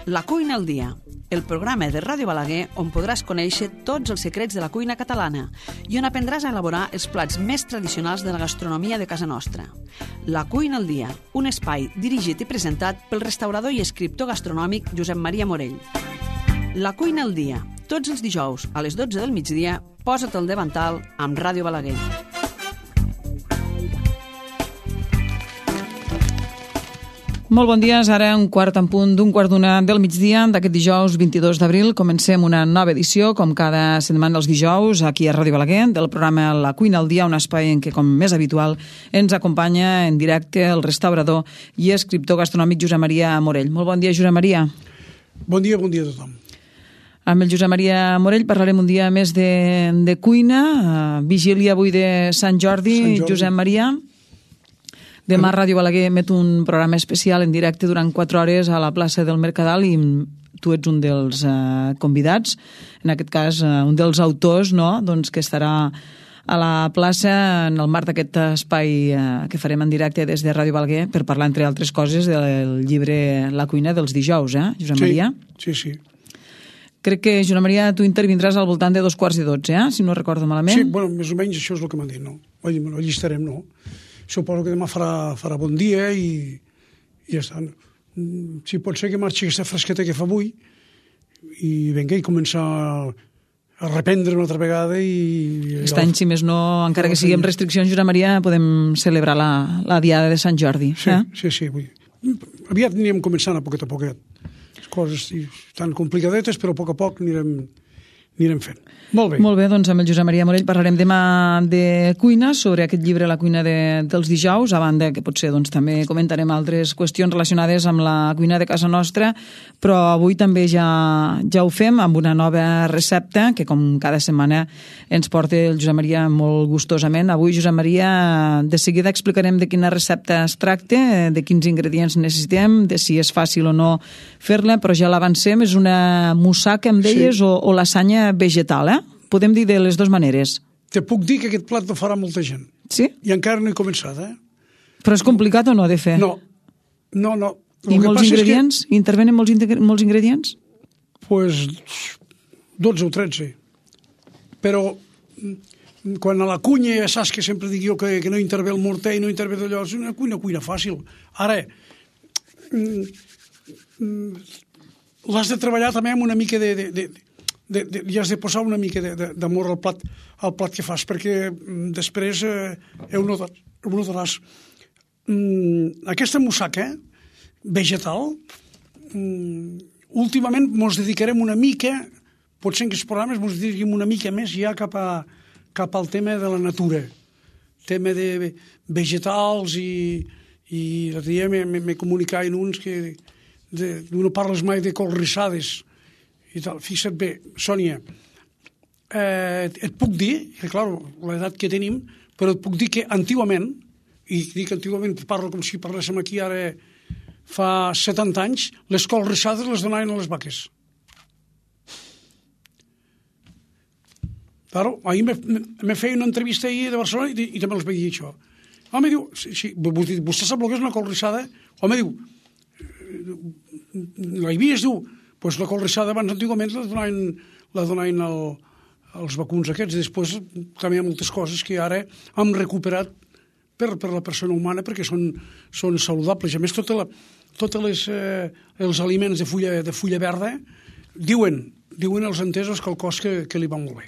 La cuina al dia, el programa de Ràdio Balaguer on podràs conèixer tots els secrets de la cuina catalana i on aprendràs a elaborar els plats més tradicionals de la gastronomia de casa nostra. La cuina al dia, un espai dirigit i presentat pel restaurador i escriptor gastronòmic Josep Maria Morell. La cuina al dia, tots els dijous a les 12 del migdia, posa't al davantal amb Ràdio Balaguer. Molt bon dia, és ara un quart en punt d'un quart d'una del migdia d'aquest dijous 22 d'abril. Comencem una nova edició, com cada setmana els dijous, aquí a Ràdio Balaguer, del programa La cuina al dia, un espai en què, com més habitual, ens acompanya en directe el restaurador i escriptor gastronòmic Josep Maria Morell. Molt bon dia, Josep Maria. Bon dia a tothom. Amb el Josep Maria Morell parlarem un dia més de cuina, vigília avui de Sant Jordi. Josep Maria. Demà Ràdio Balaguer emet un programa especial en directe durant 4 hores a la plaça del Mercadal i tu ets un dels convidats, en aquest cas un dels autors, no? Doncs que estarà a la plaça en el marc d'aquest espai que farem en directe des de Ràdio Balaguer per parlar, entre altres coses, del llibre La cuina dels dijous, Josep Maria? Sí. Crec que, Josep Maria, tu intervindràs al voltant de 2:45, si no recordo malament. Sí, bueno, més o menys això és el que m'han dit, no? Ho allistarem, no? Suposo que demà farà bon dia i ja està. Si pot ser que marxi aquesta fresqueta que fa avui i vinga i començar a reprendre una altra vegada i... Aquest any, si més no, encara que sigui amb restriccions, Josep Maria, podem celebrar la diada de Sant Jordi. Sí. Aviat anirem començant a poquet. Les coses estan complicadetes, però a poc anirem fent. Molt bé, doncs amb el Josep Maria Morell parlarem demà de cuina, sobre aquest llibre La cuina dels dijous, a banda que potser doncs, també comentarem altres qüestions relacionades amb la cuina de casa nostra, però avui també ja ho fem amb una nova recepta que com cada setmana ens porta el Josep Maria molt gustosament. Avui, Josep Maria, de seguida explicarem de quina recepta es tracta, de quins ingredients necessitem, de si és fàcil o no fer-la, però ja l'avancem, és una mussaca, em deies, o lasanya vegetal, Podem dir de les dues maneres. Te puc dir que aquest plat no farà molta gent. Sí? I encara no he començat, Però és complicat o no de fer? No. I molts ingredients? Intervenen molts ingredients? Pues 12 o 13. Però quan a la cuina ja saps que sempre dic jo que no intervé el morter i no intervé d'allò, és una cuina fàcil. Ara, l'has de treballar també amb una mica i has de posar una mica d'amor al plat que fas, perquè després ho notaràs. Aquesta mussaca vegetal, últimament ens dedicarem una mica, potser en aquests programes ens dedicarem una mica més ja cap al tema de la natura, tema de vegetals i l'altre dia me comunicaven uns que no parles mai de colrissades i tal. Fixa't bé, Sònia, et puc dir, que clar, l'edat que tenim, però et puc dir que antigament, i dic antigament, parlo com si parléssim aquí ara fa 70 anys, les colrissades les donaven a les vaques. Claro, ahir me feia una entrevista ahir de Barcelona i també els vaig dir això. Home, diu, sí, vostè sap el que és una colrissada? Home, diu, la hi vies, diu, pues la colrissada abans antigament la donaven als vacuns aquests, i després també hi ha moltes coses que ara hem recuperat per la persona humana perquè són saludables. A més, tots els aliments de fulla verda diuen els entesos que el cos que li va molt bé.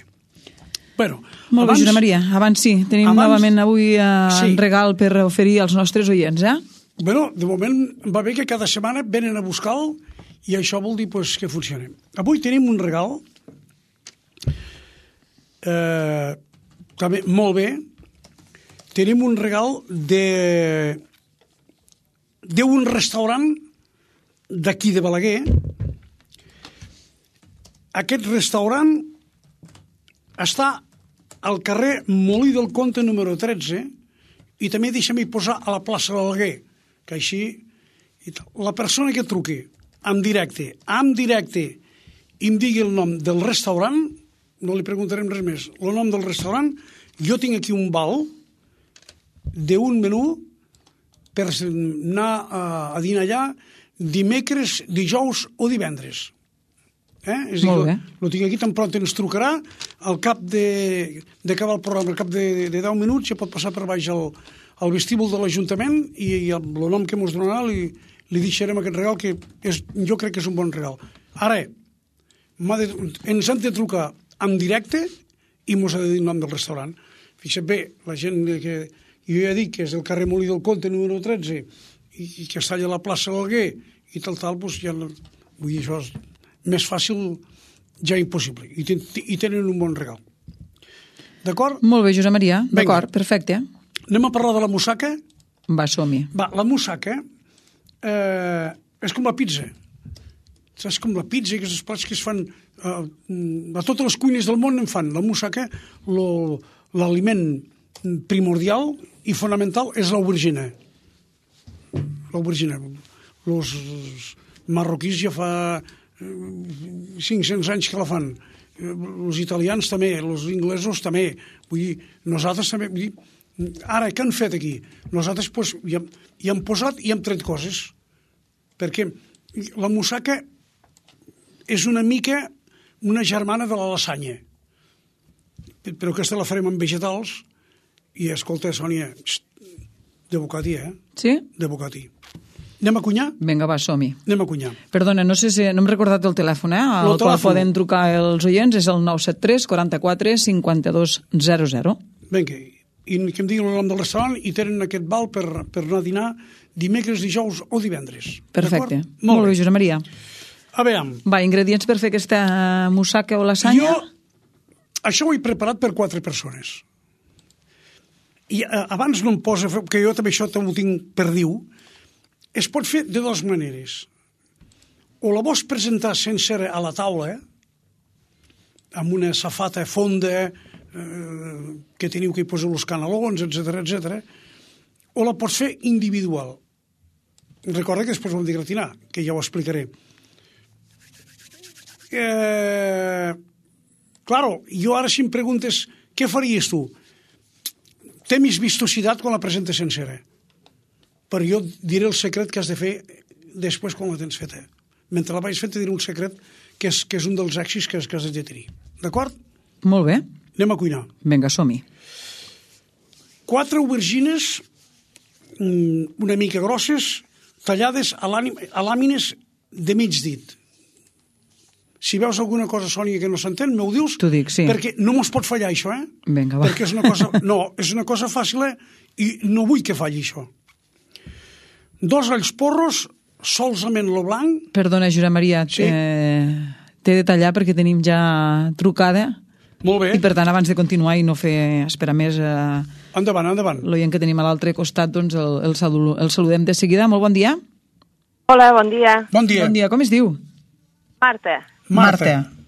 Bueno, molt bé, Josep Maria, abans sí, tenim novament avui un regal per oferir als nostres oients, Bueno, de moment va bé que cada setmana venen a buscar-lo i això vol dir que funciona. Avui tenim un regal també molt bé. Tenim un regal d'un restaurant d'aquí de Balaguer. Aquest restaurant està al carrer Molí del Comte número 13 i també deixa'm-hi posar a la plaça de Balaguer, que així la persona que truqui en directe i em digui el nom del restaurant, no li preguntarem res més, el nom del restaurant, jo tinc aquí un val d'un menú per anar a dinar allà dimecres, dijous o divendres. És a Molt dir, bé. lo tinc aquí, tan pront ens trucarà, al cap d'acabar el programa, al cap de 10 minuts, ja pot passar per baix al vestíbul de l'Ajuntament i el nom que ens donarà li deixarem aquest regal, que jo crec que és un bon regal. Ara, ens han de trucar en directe i ens ha de dir el nom del restaurant. Fixa't bé, la gent que jo ja dic que és del carrer Molí del Comte, número 13, i que està allà a la plaça d'Alguer, i tal, doncs ja no... Vull dir, això és més fàcil, ja impossible. I tenen un bon regal. D'acord? Molt bé, Josep Maria. D'acord, perfecte. Anem a parlar de la mussaca? Va, som-hi. Va, la mussaca és com la pizza. És com la pizza, que els plats que es fan a totes les cuines del món en fan. La mussaca, l'aliment primordial i fonamental és l'aubergina. L'aubergina. Els marroquís ja fa 500 anys que la fan. Els italians també, els inglesos també. Vull dir, nosaltres també... Vull dir, ara, què han fet aquí? Nosaltres pues, hi hem posat i hem tret coses. Perquè la mussaca és una mica una germana de la lasanya. Però aquesta la farem amb vegetals i, escolta, Sònia, de bocatí, Sí? De bocatí. Anem a cunyar? Vinga, va, som-hi. Anem a cunyar. Perdona, no sé si... No hem recordat el telèfon, al qual poden trucar els oients, és el 973 44 52 00. Vinga, i que em diguin el nom del restaurant i tenen aquest val per anar a dinar dimecres, dijous o divendres. Perfecte. Molt bé, Josep Maria. A veure... Va, ingredients per fer aquesta mussaca o lasanya? Això ho he preparat per 4 persones. I abans no em posa... Que jo també això ho tinc per dir-ho. Es pot fer de dues maneres. O la vols presentar sencera a la taula, amb una safata fonda, que teniu que hi poseu els canelons, etc, o la pots fer individual. Recorda que després ho hem de gratinar, que ja ho explicaré. Claro, jo ara si em preguntes què faries tu? Té més vistositat quan la presentes sencera. Però jo diré el secret que has de fer després quan la tens feta. Mentre la vaig fent, te diré un secret que és un dels èxits que has de tenir. D'acord? Molt bé. Anem a cuinar. Vinga, som-hi. 4 aubergines una mica grosses, tallades a làmines de mig dit. Si veus alguna cosa, Sònia, que no s'entén, m'ho dius? T'ho dic, sí. Perquè no mos pot fallar això, Vinga, va. Perquè és una cosa... No, és una cosa fàcil, i no vull que falli això. 2 alls porros, solament lo blanc... Perdona, Josep Maria, Sí. T'he de tallar perquè tenim ja trucada. Molt bé. I per tant, abans de continuar i no fer esperar més Endavant. l'oient que tenim a l'altre costat, doncs el saludem de seguida. Molt bon dia. Hola, bon dia. Bon dia. Bon dia, com es diu? Marta.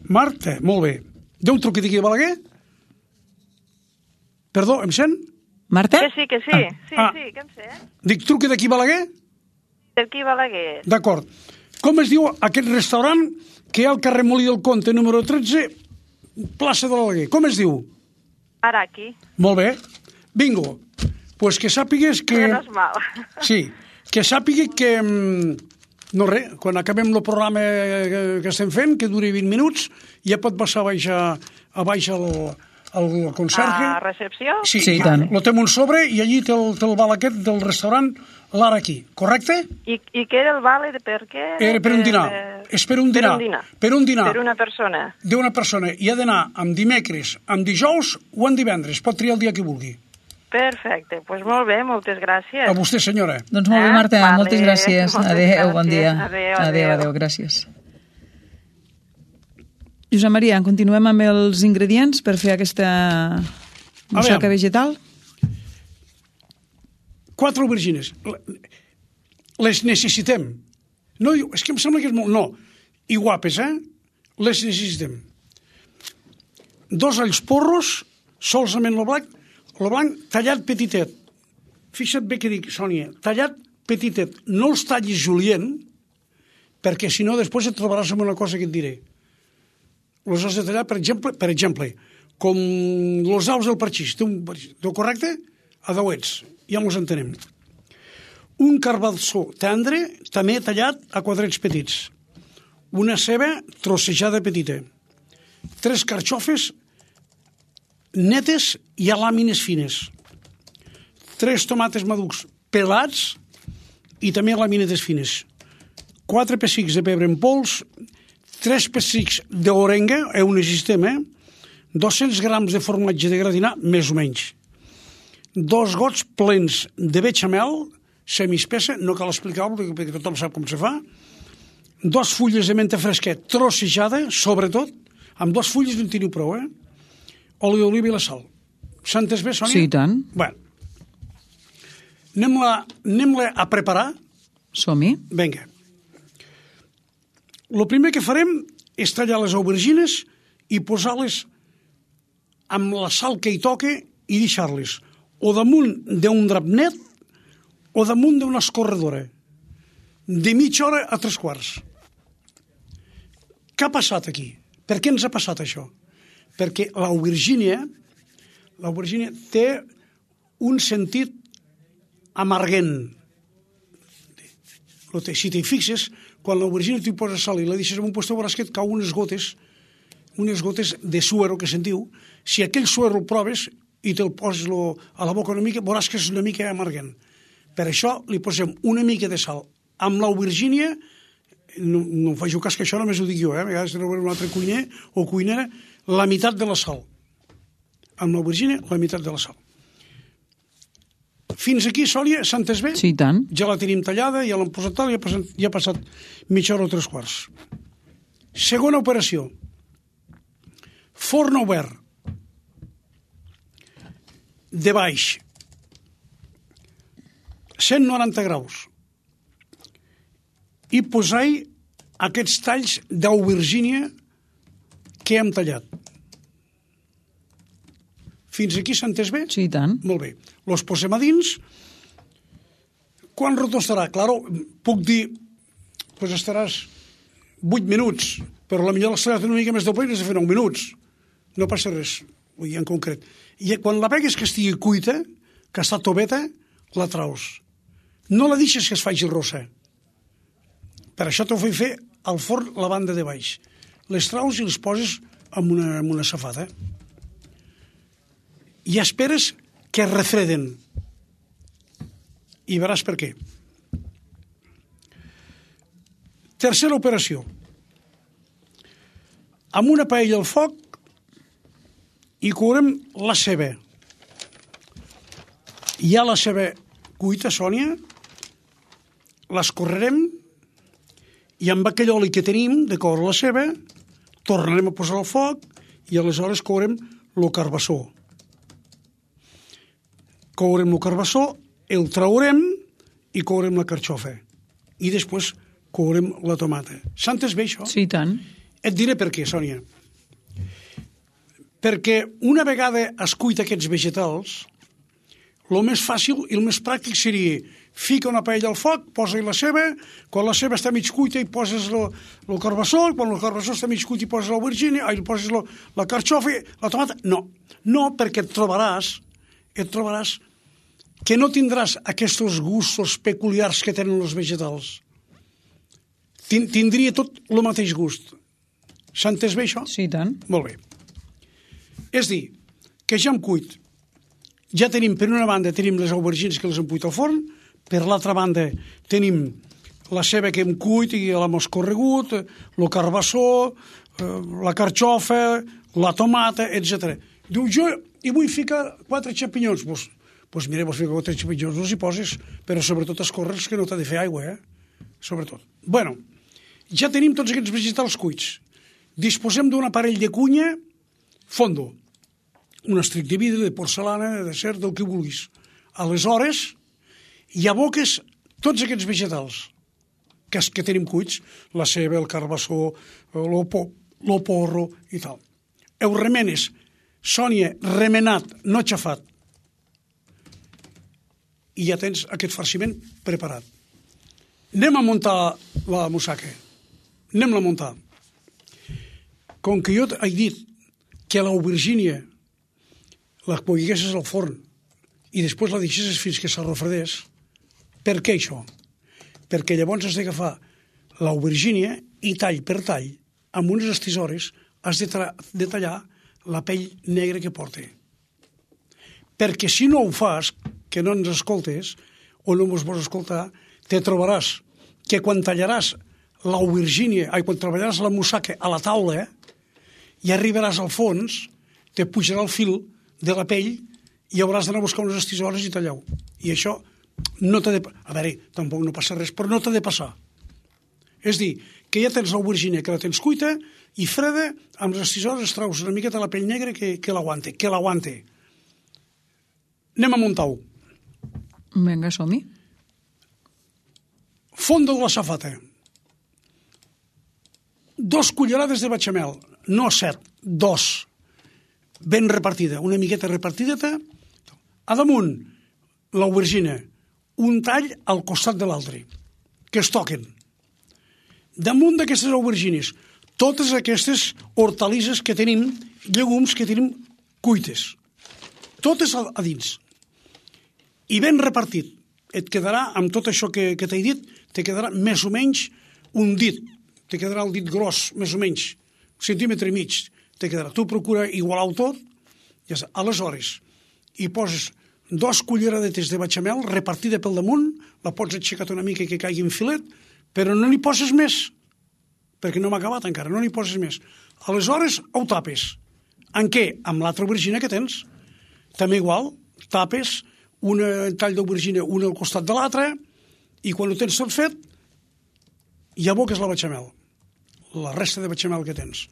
Marta, molt bé. Déu truqui d'aquí de Balaguer? Perdó, em sent? Marta? Que sí. Sí, que em sé. Dic, truqui d'aquí Balaguer? D'aquí Balaguer. D'acord. Com es diu aquest restaurant que hi ha al carrer Molí del Comte, número 13, plaça de l'Alguer? Com es diu? Araki. Molt bé. Bingo. Pues que sàpigues que... Menos mal. Sí, que sàpiga que... No res, quan acabem el programa que estem fent, que duri 20 minuts, ja pot passar a baix al conserge. A recepció? Sí, i tant. Lo té un sobre i allí té el val aquest del restaurant l'ara aquí, correcte? I què era el vale de per què? Era per un dinar. És per un dinar. Per un dinar. Per una persona. D'una persona. I ha d'anar amb dimecres, amb dijous o amb divendres. Pot triar el dia que vulgui. Perfecte. Doncs molt bé, moltes gràcies. A vostè, senyora. Doncs molt bé, Marta, Vale, moltes gràcies. moltes Adéu, gràcies. bon dia. Adéu. Gràcies. Josep Maria, continuem amb els ingredients per fer aquesta mussaca vegetal. 4 aubergines. Les necessitem. No diu, és que em sembla que és molt... No. I guapes, Les necessitem. 2 alls porros, solament lo blanc tallat petitet. Fixa't bé que dic, Sònia, tallat petitet. No els tallis julient, perquè si no després et trobaràs amb una cosa que et diré. Els has de tallar, per exemple, com els aus del parxís. Té correcte? A dauets. Ja mos entenem. un carbassó tendre, també tallat a quadrats petits, una ceba trossejada petita, 3 carxofes netes i a làmines fines, 3 tomates madurs pelats i també làmines fines, 4 pessics de pebre en pols, 3 pessics d'orenga, un sistema, 200 grams de formatge de gratinar, més o menys, 2 gots plens de bechamel, semiespessa, no cal explicar-ho perquè tothom sap com se fa, 2 fulles de menta fresquet trossejada, sobretot, amb 2 fulles no en teniu prou, oli d'oliva i la sal. S'ha entès bé, Sònia? Sí, i tant. Bueno, anem-la a preparar. Som-hi. Vinga. El primer que farem és tallar les aubergines i posar-les amb la sal que hi toca i deixar-les o damunt d'un drap net o damunt d'una escorredora, de mitja hora a 3/4. Què ha passat aquí? Per què ens ha passat això? Perquè l'aubergínia té un sentit amarguent. Si t'hi fixes, quan l'aubergina t'hi poses sal i la deixes en un lloc, veuràs que et cau unes gotes de suero que sentiu. Si aquell suero el proves i te'l poses a la boca una mica, veuràs que és una mica amarguent. Per això li posem una mica de sal. Amb l'aubergínia, no em faig cas que això només ho dic jo, a vegades no veure un altre cuiner o cuinera, la meitat de la sal. Amb l'aubergínia, la meitat de la sal. Fins aquí, Sònia, s'ha entès bé? Sí, i tant. Ja la tenim tallada, ja l'hem posat tal, ja ha passat mitja hora o 3/4. Segona operació. Forn obert. De baix. 190 graus. I posar-hi aquests talls d'aubergínia que hem tallat. Fins aquí s'ha entès bé? Sí, i tant. Molt bé. Los posem a dins. Quan roto estarà? Claro, puc dir, pues estaràs 8 minuts, però potser l'has tallat una mica més de ple i has de fer 9 minuts. No passa res, vull dir, en concret. I quan la vegues que estigui cuita, que està toveta, la traus. No la deixes que es faci rossa. Per això t'ho vull fer al forn la banda de baix. Les traus i les poses amb una safata. I esperes que es refreden. I veràs per què. Tercera operació. Amb una paella al foc i courem la ceba. Ja la ceba cuita, Sònia, l'escorrerem i amb aquell oli que tenim de coure la ceba tornarem a posar al foc i aleshores courem el carbassó. Courem el carbassó, el traurem i courem la carxofa. I després courem la tomata. S'ha entès bé, això? Sí, i tant. Et diré per què, Sònia. Perquè una vegada es cuita aquests vegetals, el més fàcil i el més pràctic seria fica una paella al foc, posa-hi la ceba, quan la ceba està mig cuita hi poses el carbassó, quan el carbassó està mig cuit hi poses l'aubergínia, hi poses la carxofa, la tomata. No, perquè et trobaràs que no tindràs aquests gustos peculiars que tenen els vegetals. Tindria tot el mateix gust. S'ha entès bé, això? Sí, i tant. Molt bé. És dir, que ja hem cuit. Ja tenim, per una banda, tenim les aubergines que les hem cuit al forn, per l'altra banda tenim la ceba que hem cuit i l'hem escorregut, el carbassó, la carxofa, la tomata, etc. Diu, jo hi vull ficar 4 xampinyons. Doncs mira, vols ficar 4 xampinyons, els hi poses, però sobretot escorre'ls que no t'ha de fer aigua, sobretot. Bueno, ja tenim tots aquests vegetals cuits. Disposem d'un aparell de cunya fondo, un estric de vidre, de porcelana, de d'acer, del que vulguis. Aleshores, hi aboques tots aquests vegetals que tenim cuits, la ceba, el carbassó, el porro i tal. Ho remenes, Sònia, remenat, no xafat. I ja tens aquest farciment preparat. Anem a muntar la mussaca. Anem-la a muntar. Com que jo he dit que l'aubergínia la posessis al forn i després la deixessis fins que s'arrefredés, Per què això? Perquè llavors has d'agafar l'aubergínia i tall per tall, amb unes estisores, has de tallar la pell negra que porta. Perquè si no ho fas, que no ens escoltes, o no ens vols escoltar, te trobaràs que quan tallaràs l'aubergínia, quan treballaràs la mussaca a la taula, i arribaràs al fons, te pujarà el fil de la pell i hauràs d'anar a buscar unes estisores i tallar-ho. I això no t'ha de... A veure, tampoc no passa res, però no t'ha de passar. És dir, que ja tens l'aubergínia, que la tens cuita i freda, amb les estisores traus una miqueta la pell negra que l'aguante, Anem a muntar-ho. Vinga, som-hi. Fondo de la safata. 2 cullerades de bechamel, no 7, 2, ben repartida, una miqueta repartideta. A damunt, l'aubergina, un tall al costat de l'altre, que es toquen. Damunt d'aquestes aubergines, totes aquestes hortalisses que tenim, llegums que tenim cuites, totes a dins. I ben repartit. Et quedarà, amb tot això que t'he dit, te quedarà més o menys un dit. Te quedarà el dit gros, més o menys, 1,5 centímetres. Te quedarà. Tu procura igualar-ho tot. Ja està. Aleshores, hi poses 2 culleradetes de bechamel repartida pel damunt, la pots aixecar una mica que caigui en filet, però no n'hi poses més, perquè no m'ha acabat encara, no n'hi poses més. Aleshores, ho tapes. En què? Amb l'altra aubergina que tens. També igual, tapes un tall d'aubergina un al costat de l'altre i quan ho tens tot fet ja aboques la bechamel, la resta de bechamel que tens.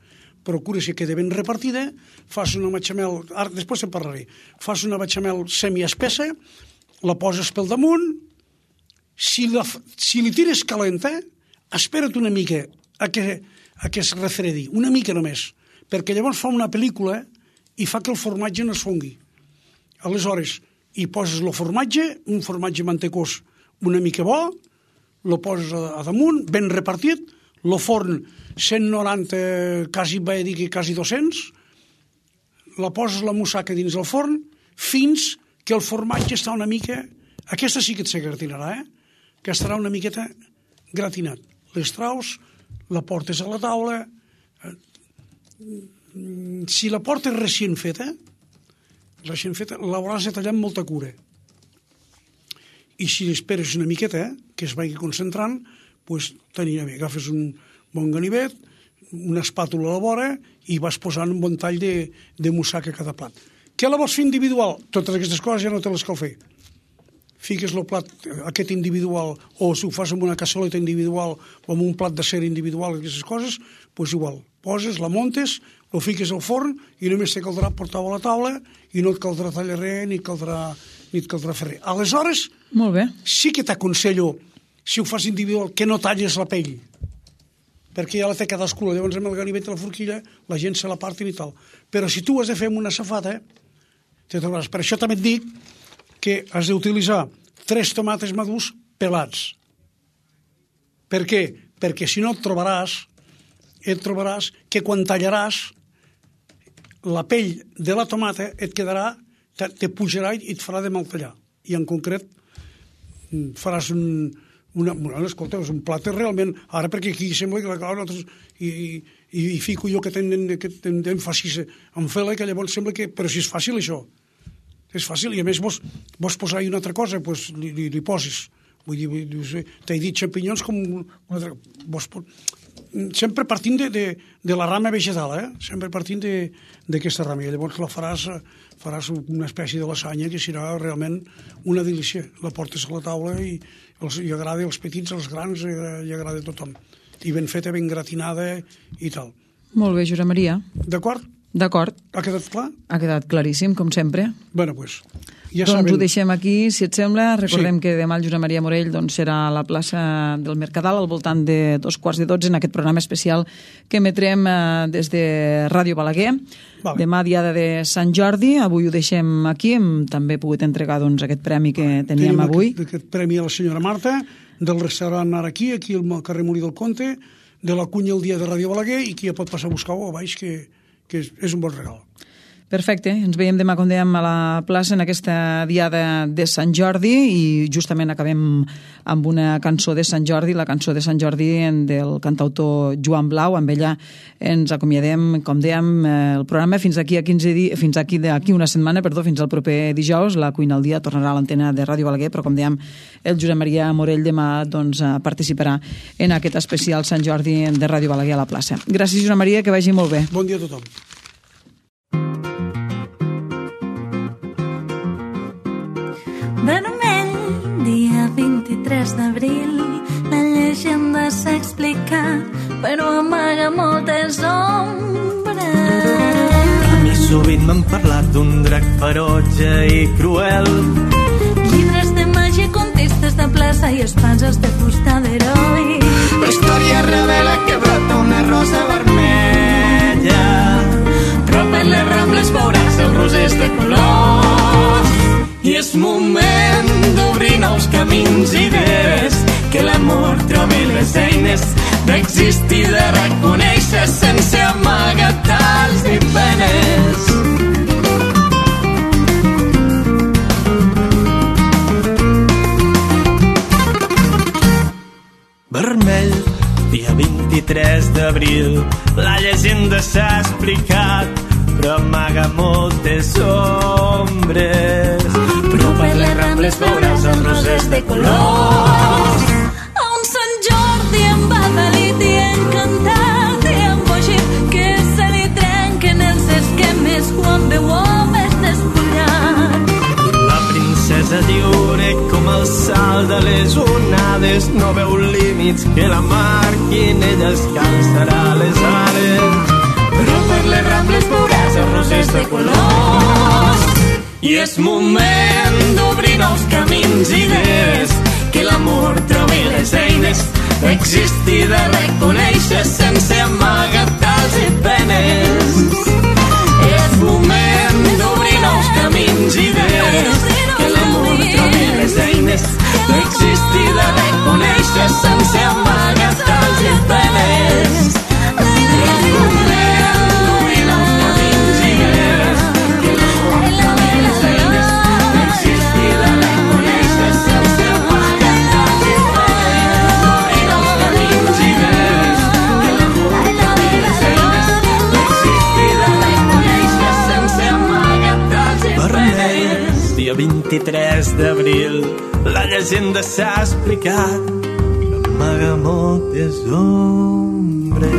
Procura que quedi ben repartida, fas una bechamel, ara després en parlaré, fas una bechamel semiespessa, la poses pel damunt, si li tires calenta, espera't una mica a que es refredi, una mica només, perquè llavors fa una pel·lícula i fa que el formatge no es fongui. Aleshores, hi poses el formatge, un formatge mantecós una mica bo, lo poses a damunt, ben repartit, lo forn 190, quasi 200, la poses la mussaca dins el forn, fins que el formatge està una mica... Aquesta sí que et se gratinarà, que estarà una miqueta gratinat. Les traus, la portes a la taula... Si la portes recient feta, l'hauràs de tallar amb molta cura. I si esperes una miqueta, que es vagi concentrant, doncs t'anirà bé. Agafes un bon ganivet, una espàtula a la vora i vas posant un bon tall de mussaca a cada plat. Què la vols fer individual? Totes aquestes coses ja no te les cal fer. Fiques el plat aquest individual, o si ho fas amb una cassoleta individual o amb un plat de cera individual, aquestes coses, doncs igual. Poses, la montes, lo fiques al forn i només te caldrà portar-ho a la taula i no et caldrà tallar res ni et caldrà fer res. Aleshores, molt bé, sí que t'aconsello, si ho fas individual, que no talles la pell, perquè ja la té cadascú. Llavors amb el ganivet i la forquilla la gent se la partin i tal. Però si tu ho has de fer amb una safata, te trobaràs. Per això també et dic que has d'utilitzar 3 tomates madurs pelats. Per què? Perquè si no et trobaràs que quan tallaràs la pell de la tomata et quedarà, te pujarà i et farà de mal tallar. I en concret faràs escolta, és un plat realment... Ara perquè aquí sembla que nosaltres i fico jo que tenen fàcil en fer-la, que llavors sembla que... Però si és fàcil això, és fàcil. I a més vols posar-hi una altra cosa, doncs li poses. Vull dir, t'he dit xampinyons com una altra... Sempre partint de la rama vegetal, sempre partint d'aquesta rama. I llavors la faràs una espècie de lasanya que serà realment una delícia. La portes a la taula i agrada als petits, als grans, i agrada a tothom. I ben feta, ben gratinada i tal. Molt bé, Josep Maria. D'acord? D'acord. Ha quedat clar? Ha quedat claríssim, com sempre. Bé, doncs... Ja doncs ho deixem aquí, si et sembla. Recordem Sí. que demà el Josep Maria Morell serà a la plaça del Mercadal al voltant de 11:45 en aquest programa especial que emetrem des de Ràdio Balaguer. Vale. Demà, diada de Sant Jordi. Avui ho deixem aquí. Hem també pogut entregar aquest premi que teníem avui. Aquest premi a la senyora Marta, del restaurant Araquí, aquí al carrer Molí del Conte, de la cunya el dia de Ràdio Balaguer, i qui ja pot passar a buscar-ho a baix, que és un bon regal. Perfecte, ens veiem demà, com dèiem, a la plaça en aquesta diada de Sant Jordi i justament acabem amb una cançó de Sant Jordi, la cançó de Sant Jordi del cantautor Joan Blau. Amb ella ens acomiadem, com dèiem, el programa fins aquí a 15 dies, fins aquí una setmana, fins al proper dijous. La Cuina al dia tornarà a l'antena de Ràdio Balaguer, però com dèiem, el Josep Maria Morell demà participarà en aquest especial Sant Jordi de Ràdio Balaguer a la plaça. Gràcies, Josep Maria, que vagi molt bé. Bon dia a tothom. Vermell, dia 23 d'abril, la llegenda s'ha explicat, però amaga moltes ombres. A mi sovint m'han parlat d'un drac ferotge i cruel. Llibres de màgia, contistes de plaça i espases de fusta d'heroi. La història revela que brota una rosa vermella, però per les rambles veuràs els rosers de colors. I és moment d'obrir nous camins i idees, que l'amor trobi les eines d'existir, de reconèixer sense amagatals ni penes. Vermell, dia 23 d'abril, la llegenda s'ha explicat, però amaga moltes ombres. Però per les rambles veuràs els rosers de colors. A un Sant Jordi embadalit i encantat i embogit, que se li trenquen els esquemes quan veu homes despullat. La princesa lliure com el salt de les onades, no veu límits que la marquin, ella es calçarà les ales. Però per les rambles veuràs els rosers de colors. I és moment d'obrir nous camins i idees, que l'amor trobi les eines d'existir, de reconèixer sense amagatals i penes. És moment d'obrir nous camins i idees, que l'amor trobi les eines d'existir, de reconèixer sense amagatals i penes. És moment d'obrir nous camins i idees, que l'amor trobi les eines d'existir, de reconèixer sense amagatals i penes. Obrir nous camins i idees, que l'amor trobi les eines d'existir, de reconèixer sense amagatals i penes. Dia 23 d'abril, la llegenda s'ha explicat, amaga moltes ombres.